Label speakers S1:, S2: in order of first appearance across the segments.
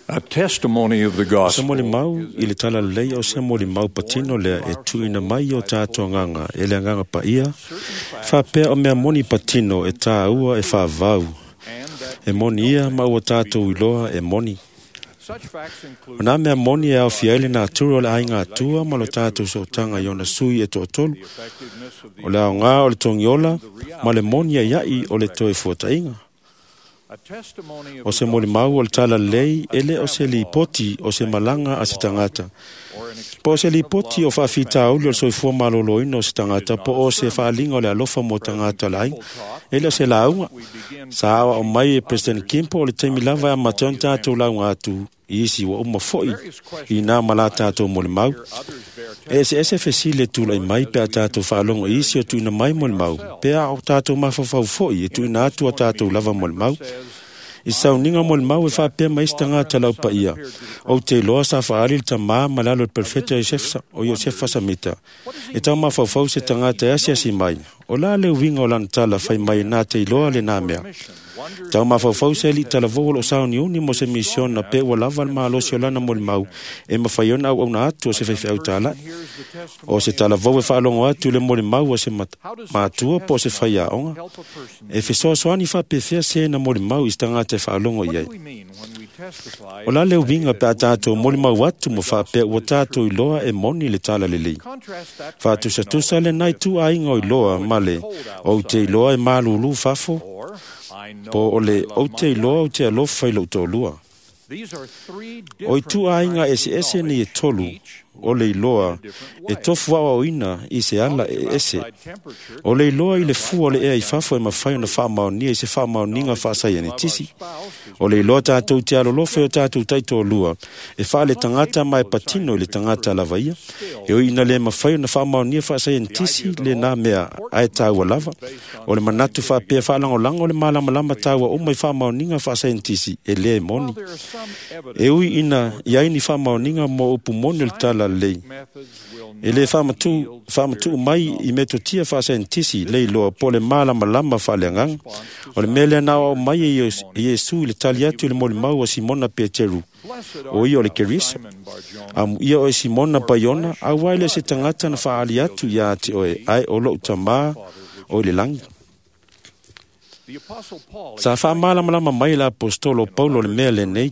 S1: A testimony of the
S2: O se
S1: gospel
S2: molimau i le talalelei o se molimau patino lea e tuuina mai i o tātou agaga e le agaga paia, faapea o mea moni patino e tāua e faavavau,
S1: and that
S2: e moni ia ma ua tātou iloa e moni.
S1: such facts include
S2: O nā mea moni e aofia ai le natura o le aiga atua ma lo tātou sootaga i ona sui e toatolu,
S1: the effectiveness of the
S2: o le aoga o le togiola ma le moni aiai o le toe fuataiga.
S1: a testimony of
S2: O
S1: the
S2: se molimau o le talalelei e le o se lipoti o se malaga a se tagata.
S1: or an
S2: Po o se lipoti o faafitauli o le soifua malōlōina o se tagata, po o se faaliga o le alofa mo tagata o le aiga, e le o se lauga.
S1: we begin
S2: Sa aoao mai e President Kimpo o le taimi lava e amata ai ona tātou lauga atu i isi ua uma foi i nā ma la tātou molimau.
S1: others bear
S2: E eseese fesili e tulai mai pe a tātou faalogo i isi o tuuina mai molimau, pe a o tātou mafaufau foi e tuuina atu a tātou lava molimau. I sauniga molimau e faapea mai isi tagata laupaia, ou te iloa sa faali le tamā ma le alo o le perofeta o Iosefa Samita. E tau mafaufau se tagata e asiasi mai, o la le uiga o lana tala fai mai nā te iloa le nā mea.
S1: mission wonders
S2: Tau mafaufau se alii talavou o loo sauniuni mo se misiona pe ua lava le malosi o lana molimau e mafai ona auauna atu o se faifeau tāla'i.
S1: hears the testimony
S2: O se talavou e faalogo atu i le molimau a se matua po o se faiaoga.
S1: help a person
S2: E fesoasoani faapefea se na molimau i se tagata e faalogo i ai.
S1: What do we mean when we testify
S2: O la le uiga pe a tātou molimau atu ma faapea ua tātou iloa e moni le talalelei.
S1: contrast that
S2: Faatusatusa le nai tuaiga o iloa ma le ou te iloa e malūlū fafo,
S1: or I know
S2: po o le
S1: I love
S2: ou te
S1: my
S2: iloa ou te alofa i lou toalua.
S1: These are three
S2: O i
S1: different
S2: tuaiga
S1: kinds of
S2: eseese nei e
S1: knowledge,
S2: tolu
S1: each
S2: o le iloa e tofu aoaoina i se ala e ese.
S1: outside temperature
S2: O le iloa i le fua o le ea i fafo e mafai ona faamaonia i se faamaoniga faasaienitisi. O le iloa tātou te alolofa i o tātou taitoalua, e faale tagata ma e patino i le tagata lava ia. E oi ina le mafai ona faamaonia faasaienitisi le nā mea ae tāua lava. O le manatu faapea faalagolago o le malamalama tāua uma i faamaoniga faasaienitisi e lē moni.
S1: While there are some evidence
S2: E ui ina i ai ni faamaoniga mo upu moni o le talalelei.
S1: methods will
S2: E le faamatuu mai i metotia faasaienitisi le iloa po o le malamalama faaleagaga. O le mea lea na aoao mai e Iesu i le tali atu i le molimau a Simona Peteru,
S1: Blessed
S2: o ia o le
S1: art thou,
S2: Keriso.
S1: Simon Bar-Jonah,
S2: Amuia oe Simona Paiona, auā e le o se tagata na faaali atu iā te oe, ae o lou tamā o i le lagi.
S1: The Apostle Paul
S2: Sa faamalamalama mai le apostolo o Paulo le mea lenei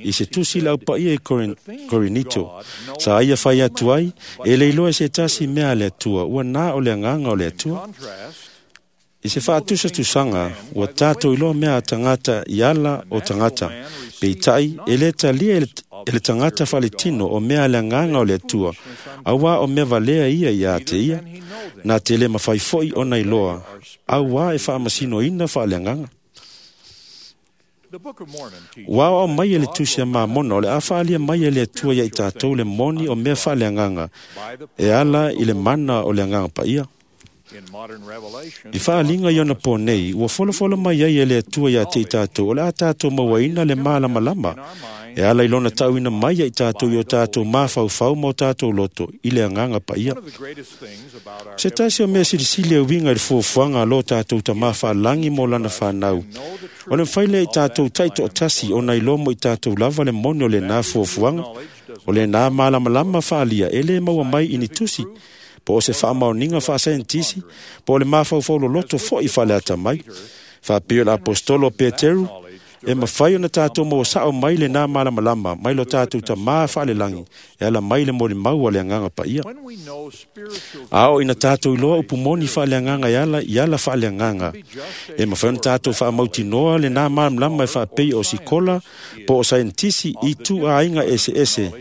S2: i se tusi le aupaia i Korinito. Sa ia fai atu ai, e le iloa e se tasi mea a le Atua, ua nā o le agaga o le Atua.
S1: contrast
S2: I se faatusatusaga, ua tātou iloa mea a tagata i ala o tagata. Peitai, e le talia e le tagata faaletino o mea a le agaga o le Atua, auā o mea valea ia iā te ia,
S1: and he know them.
S2: nā te le mafai foi ona iloa, auā e faamasinoina faaleagaga.
S1: The Book of Mormon teaches
S2: Ua aoao mai e le tusi a Mamona o le a faalia mai e le Atua ia i tātou le moni o mea faaleagaga
S1: by the
S2: e ala i le mana o le agaga paia.
S1: in modern revelation
S2: I faaliga i ona pō nei, ua folafolo mai ai e le Atua ia te i tātou, o le a tātou mauaina le malamalama, e ala i lona tauina mai ia i tātou i o tātou mafaufau ma o tātou loto i le agaga paia.
S1: one of the greatest things about our
S2: Se tasi o mea silisili e uiga i le fuafuaga a lo tātou tamā faalagi mo lana whanau.
S1: know the
S2: O le mafai lea i tātou taitoatasi ona iloa mo i tātou lava le moni o lenā fuafuaga, o lenā malamalama faalia e lē maua mai i ni tusi, po o se faamaoniga faasaienitisi, po o le mafaufau loloto fo'i faaleata mai. Faapea o le apostolo o Peteru, e mafai ona tātou maua sa'o mai lenā malamalama mai lo tātou tamā faalelagi e ala mai le molimau a le agaga paia.
S1: when we know spiritual
S2: A oo ina tātou iloa upu moni faaleagaga e ala i ala faaleagaga. E mafai ona tātou faamautinoa lenā malamalama e faapei o sikola po o saienitisi i tuaiga eseese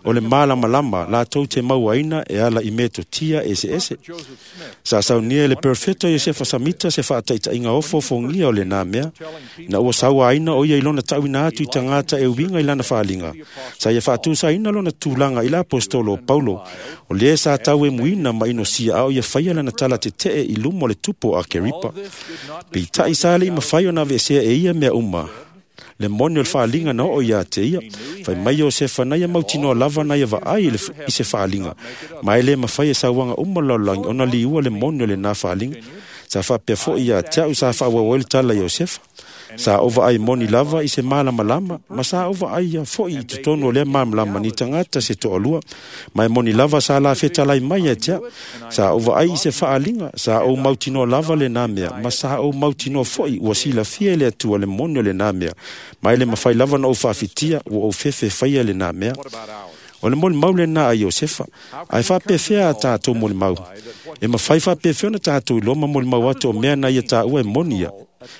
S2: o le malamalama latou te mauaina e ala i metotia eseese.
S1: Joseph Smith
S2: Sa saunia e le perofeta Iosefa Samita se faataitaiga ofoofogia o lenā mea, na ua sauaina o ia i lona tauina atu i tagata e uiga i lana faaliga. Sa ia faatusaina lona tulaga i le apostolo o Paulo, o lē sa tauemuina ma inosia a o ia faia lana tala tetee i luma o le tupu o Akeripa.
S1: this did not
S2: Peitai sa alii mafai ona aveesea e ia mea uma. Le moni o le faaliga na oo iā te ia. Fai mai Iosefa na ia mautinoa lava na ia vaai i se faaliga. Ma e lē mafai e sauaga uma o le lalolagi ona liua le moni o lenā faaliga. Sa faapea fo'i iā te a'u sa faaauau ai le tala a Iosefa. Sa ou vaai moni lava i se malamalama, ma sa ou vaaia foʻi i totonu o lea malamalama ni tagata se toalua, ma e moni lava sa la fetalai mai ia te a'u. Sa ou vaai i se faaaliga, sa ou mautinoa lava lenā mea, ma sa ou mautinoa foʻi ua silafia e le Atua le moni o lenā mea, ma e le mafai lava ona ou faafitia ua ou fefe faia lenā mea. O le molimau lenā a Iosefa, ae faapefea a tatou molimau? E mafai faapefea ona tatou iloa ma molimau atu o mea na ia taua e moni ia?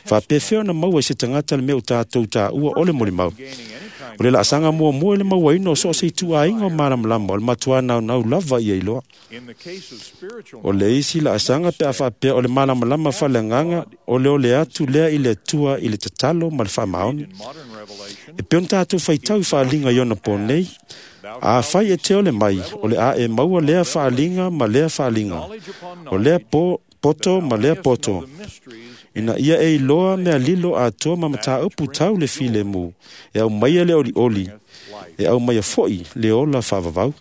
S2: Faapefea ona maua e se tagata le mea o tatou taua o le molimau? O le laasaga muamua i le mauaina o so o se ituaiga o malamalama o le matuā naunau lava ia iloa. O le isi laasaga pe a faapea o le malamalama faaleagaga o le ole atu lea i le Atua i le tatalo ma le faamaoni. E pei ona tatou faitau i faaaliga i ona po nei, afai e te ole mai, o le a e maua lea faaaliga ma lea faaaliga, o lea poto ma lea poto, ina ia e iloa mea lilo atoa ma mataupu tau le filemu, e aumaia le olioli, e aumaia foʻi le ola faavavau.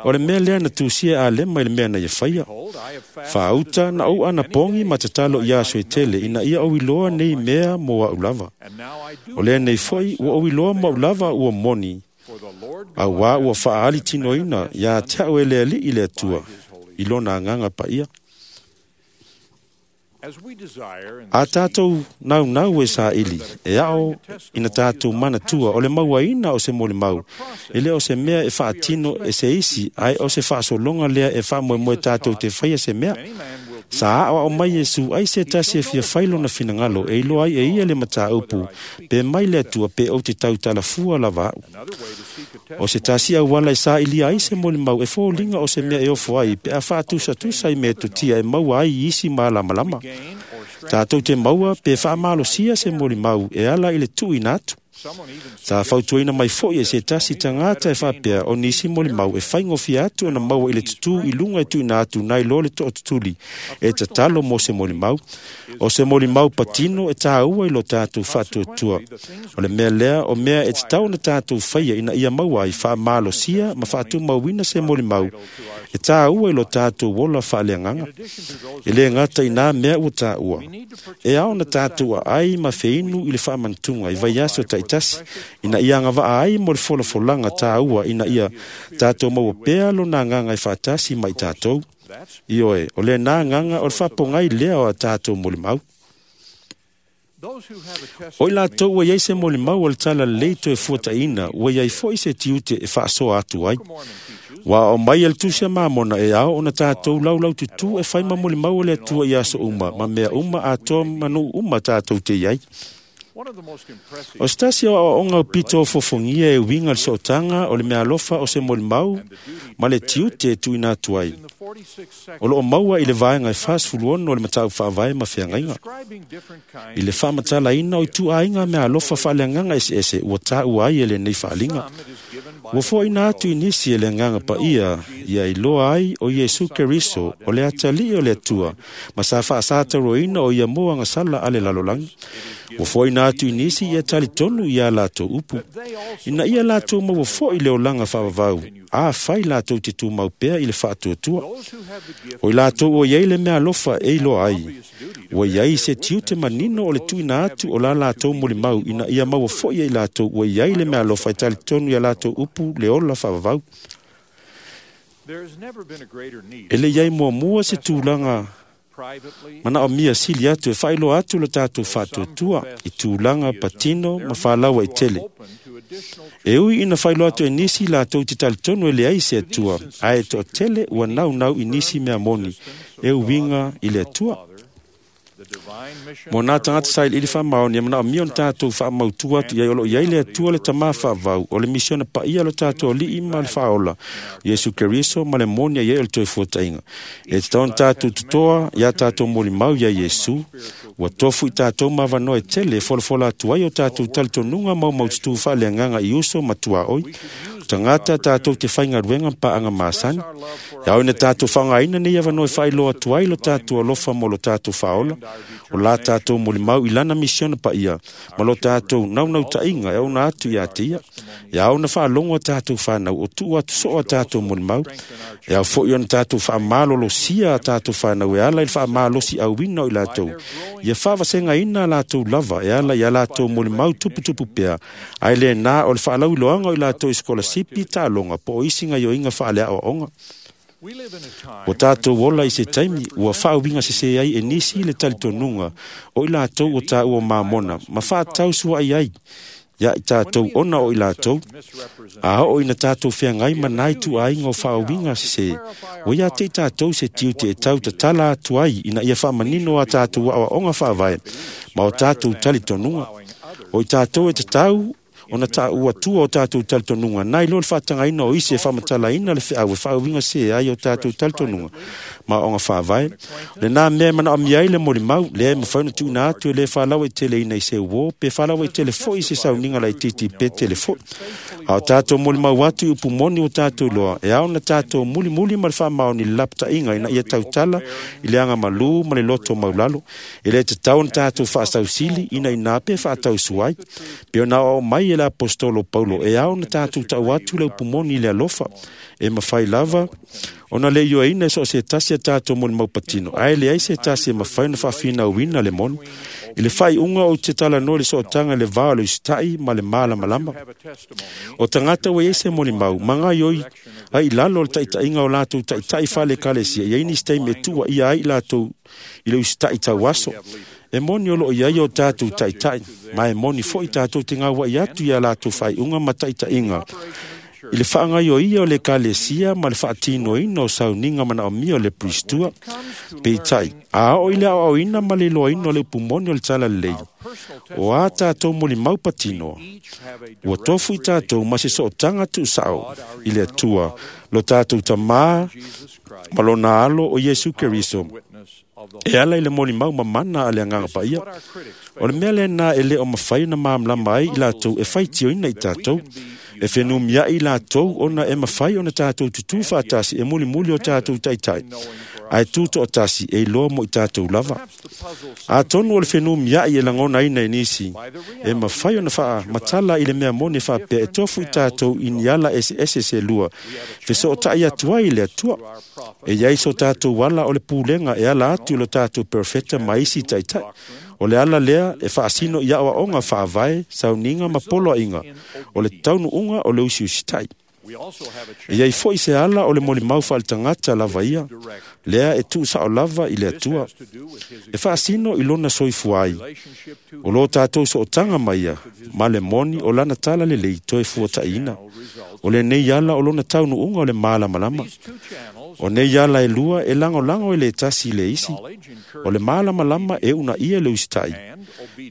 S2: O le mea lea na tusia e Alema i le mea na ia faia. Faauta na ou anapogi ma tatalo i aso e tele ina ia ou iloa nei mea mo a'u lava. O lea nei foʻi ua ou iloa mo a'u lava ua moni, auā ua faaali tinoina iā te a'u e le Alii le Atua i lona agaga paia. A tatou naunau e saili, e ao ina tatou manatua o le mauaina o se molimau, e le o se mea e faatino e se isi, ae o se faasologa lea e faamoemoe tatou te faia se mea. Sa aoao mai Iesu ai se tasi e fia fai lona finagalo e iloa ai e ia le mataupu, pe mai le Atua pe ou te tautalafua lava a'u. O se tasi auala e sailia ai se molimau e foliga o se mea e ofo ai pe a faatusatusa i metotia e maua ai i isi malamalama. Tatou te maua pe faamalosia se molimau e ala i le tuuina atu. Sa fautuaina mai foʻi e se tasi tagata e faapea o nisi molimau e faigofie atu ona maua i le tutū i luga e tuuina atu nai lo le tootutuli e tatalo mo se molimau. O se molimau patino e tāua i lo tatou faatuatua. O le mea lea o mea e tatau ona tatou faia ina ia maua ai faamalosia ma faatumauina se molimau e tāua i lo tatou ola faaleagaga. E lē gata i nā mea ua taua, e ao ona tatou aai ma feinu i le faamanatuga i vaiaso taitasi ina ia agavaa ai mo le folafolaga tāua ina ia tatou maua pea lona agaga e faatasi ma i tatou. Ioe, o lenā agaga o le faapogai lea o a tatou molimau. O i latou ua iai se molimau o le talalelei toe fuataʻina, ua iai foʻi se tiute e faasoa atu ai. Ua aoao mai e le Tusi a Mamona e ao ona tatou laulaututū e fai ma molimau o le Atua i aso uma, ma mea uma atoa ma nuu uma tatou te iai. O se tasi o aoaoga o pito o fofogia e uiga le sootaga o le meaalofa o se molimau ma le tiute e tuuina atu ai. O loo maua i le vaega e 46 o le mataupu faavae ma feagaiga. I le faamatalaina o ituaiga meaalofa faaleagaga eseese ua taua ai e lenei faaaliga. Ua foaina atu i nisi e le agaga paia ia iloa ai o Iesu Keriso o le atalii o le Atua ma sa faasatauroina o ia mo agasala a le lalolagi. Ua foaina atu i nisi ia talitonu iā latou upu, ina ia latou maua foʻi le olaga faavavau, afai latou te tumau pea i le faatuatua. O i latou ua iai le meaalofa e iloa ai, ua iai se tiute manino o le tuuina atu o la latou molimau ina ia maua foʻi e i latou ua iai le meaalofa e talitonu iā latou upu le ola faavavau. E le iai muamua se tulaga manaomia sili atu e faailoa atu lo tatou faatuatua i tulaga patino ma faalaua i tele. E ui ina faailoa atu e nisi latou te talitonu e leai se Atua, ae e toatele ua naunau i nisi mea moni e uiga i le Atua. Mo nā tagata sailiili faamaoni e manaomia ona tatou faamautu atu i ai o loo iai le Atua le Tamā faavavau, o le misiona paia o lo tatou Alii ma le Faaola, Iesu Keriso ma le moni ai o le toe fuataʻiga. E tatau ona tatou totoa iā tatou molimau iā Iesu, ua tofu i tatou ma avanoa e tele e folafola atu ai o tatou talitonuga maumaututū faaleagaga i uso ma tuaoi, tagata tatou te faigaluega ma paaga masani. E ao ina tatou faaaogaina nei avanoa e faailoa atu ai lo tatou alofa mo lo tatou Faaola, o la tatou molimau i lana misiona paia ma lo tatou naunautaiga e ona atu iā te ia. E ao ona faalogo a tatou fanau o tuu atu soo a tatou molimau. E ao foi ona tatou faamalolosia a tatou fanau e ala i le faamalosiauina o i latou, ia faavasegaina a latou lava e ala i a latou molimau tuputupu pea, ae lena o le faalauiloaga o i latou i sikolasipi, taaloga po o isi gaoioiga faaleaoaoga. Ua tatou ola i se taimi ua faauiga sesē ai e nisi le talitonuga o i latou ua taua mamona ma faatausuai ai ia i tatou ona o i latou. A oo ina tatou feagai ma nai tuuaiga o faauiga sesē, ua ia te i tatou se tiute e tau tatala atu ai ina ia faamanino a tatou aoaoga faavae ma o tatou talitonuga. O i tatou e tatau ona taua tua o tatou talitonuga, nai lo le faatagaina o isi e faamatalaina le feau e faauiga sesē ai o tatou talitonuga ma aoaoga faavae. O lena mea e manaomia ai le molimau, lea e mafai ona tuuina atu e le faalauaiteleina i se uō pe faalauaitele foi i se sauniga laitiiti pe tele foi. A o tatou molimau atu i upu moni ua tatou iloa, e ao ona tatou mulimuli ma le faamaoni i le lapataiga ina ia tautala i le agamalū ma le loto maulalo. E le tatau ona tatou faasausili ina ina pe faatausuai. Pe ona aoao mai e le aposetolo Paulo, e ao ona tatou tau atu le upu moni i le alofa. E mafai lava ona le ioeina e so o se tasi a tatou molimau patino, ae leai se tasi e mafai ona faafinauina le moni. I le faaiuga ou te talanoa i le sootaga i le va o le usitai ma le malamalama. O tagata ua iai se molimau, ma gaoioi ai i lalo o le taitaiga o latou taitai faale-ekalesia, e i ai nisi taimi e tuuaia ai i latou i le usitai tauaso. E moni o loo iai o tatou taitai, ma e moni foi tatou te gauai atu ia latou faaiuga ma taitaiga i le faagaoioia o le ekalesia ma le faatinoina o sauniga manaomia o le Pristua. Peitai, a oo i le aoaoina ma le iloaina o le upu moni o le talalelei, o a tatou molimau patino, ua tofu i tatou ma se sootaga tuusao i le Atua, lo tatou Tamā ma lona alo o Iesu Keriso, e ala i le molimau mamana a le Agaga Paia. O le mea lena e le o mafai ona malamalama ai i latou e faitioina i tatou. E fenumiai i latou ona e mafai ona tatou tutū faatasi e mulimuli o tatou taitai, ae tu toatasi e iloa mo i tatou lava. Atonu o le fenumiai e lagonaina e nisi, e mafai ona faamatala i le mea moni e faapea e tofu i tatou i ni ala eseese se lua, fesootai atu ai i le Atua. E i ai so tatou ala o le pulega e ala atu i lo tatou perofeta ma isi taitai. O le ala lea e faasino i aoaoga faavae, sauniga ma poloaiga, o le taunuuga o le usiusitai. E i ai foi se ala o le molimau faaletagata lava ia, lea e tuusao lava i le Atua. E faasino i lona soifua ai, o lo tatou sootaga ma ia, ma le moni o lana talalelei toe fuataiina. O lenei ala o lona taunuuga o le malamalama. O nei ala e lua e lagolago e le tasi i le isi. O le malamalama e uunaia le usitai,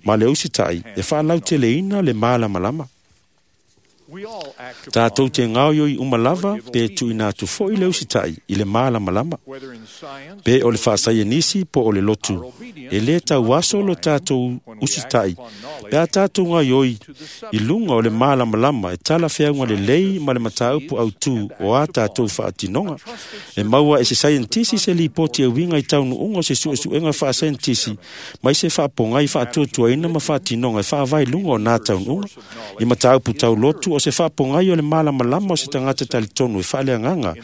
S2: ma le usitai e faalauteleina le malamalama. Tatou te gaoioi uma lava pe tuuina atu foi le usitai i le malamalama. Pe o le faasaienisi po o le lotu, e lē tauaso lo tatou usitai pe a tatou gaoioi i luga o le malamalama e talafeauga lelei ma le mataupu autū o a tatou faatinoga. E maua e se saienitisi se lipoti e uiga i taunuuga o se suesuega faasaienitisi mai se faapogai faatuatuaina ma faatinoga e faavae i luga o na taunuuga. I mataupu taulotu o se faapogai o le malamalama o se tagata talitonu e faaleagaga,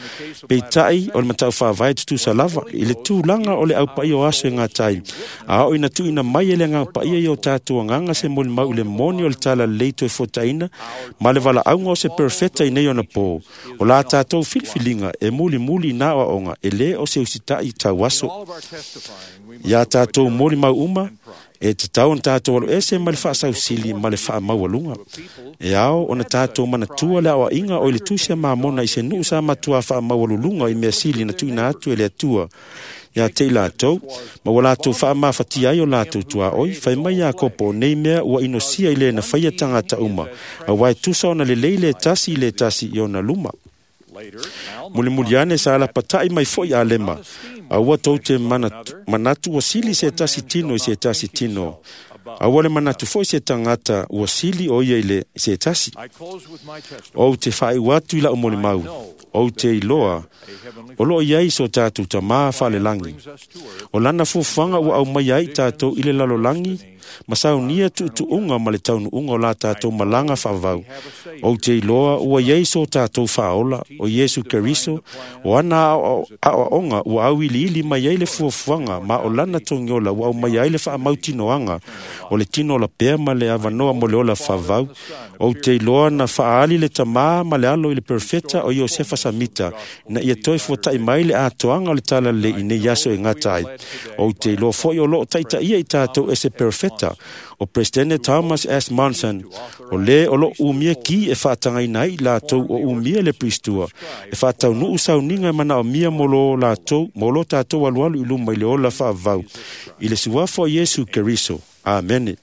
S2: peitai o le matau faavae tutusa lava i le tulaga o le aupaia o aso e gatai. A oo ina tuuina mai e le Agaga Paia i o tatou agaga se molimau i le moni o le talalelei toe fuataina ma le valaauga o se perofeta i nei ona pō, o la tatou filifiliga e mulimuli i na aoaoga e lē o se usitai tauaso. Ia tatou molimau uma, e tatau ona tatou aloese ma le faasausili ma le faamaualuga. E ao ona tatou manatua le aoaiga o i le tusi a Mamona i se nuu sa matuā faamaualuluga i mea sili na tuuina atu e le Atua ia te i latou, ma ua latou faamafatia ai o latou tuaoi. Fai mai Iakopo, o nei mea ua inosia i le na faia tagata uma, auā e tusa ona lelei le tasi i le tasi i ona luma. Mulimuli ane sa lapatai mai foi Alema, aua tou te manatu ua sili se tasi tino i se tasi tino. Aua le manatu foi se tagata ua sili o ia i le se tasi. Ou te faaiu atu i lau molimau, ou te iloa o loo i ai so tatou Tamā faalelagi. O lana fuafuaga ua aumaia ai tatou i le lalolagi ma saunia tuutuuga ma le taunuuga o la tatou malaga faavavau. Ou te iloa ua i ai so tatou Faaola, o Iesu Keriso, o ana aoaoga ua auiliili mai ai le fuafuaga ma o lana togiola ua aumaia ai le faamautinoaga o le tino ola pea ma le avanoa mo le ola faavavau. Ou te iloa na faaali le Tamā ma le Alo i le perofeta o Iosefa Samita ina ia toe fuata'i mai le atoaga o le talalelei i nei aso e gata ai. Ou te iloa foi o loo taitaia i tatou e se perofeta o Peresetene Thomas S. Monson, o lē o loo umia ki e faatagaina ai i latou o umia le Piristua e faataunuu sauniga e manaomia mo lo latou mo lo tatou alualu i luma i le ola faavavau i le suafa o Iesu Keriso. Amene.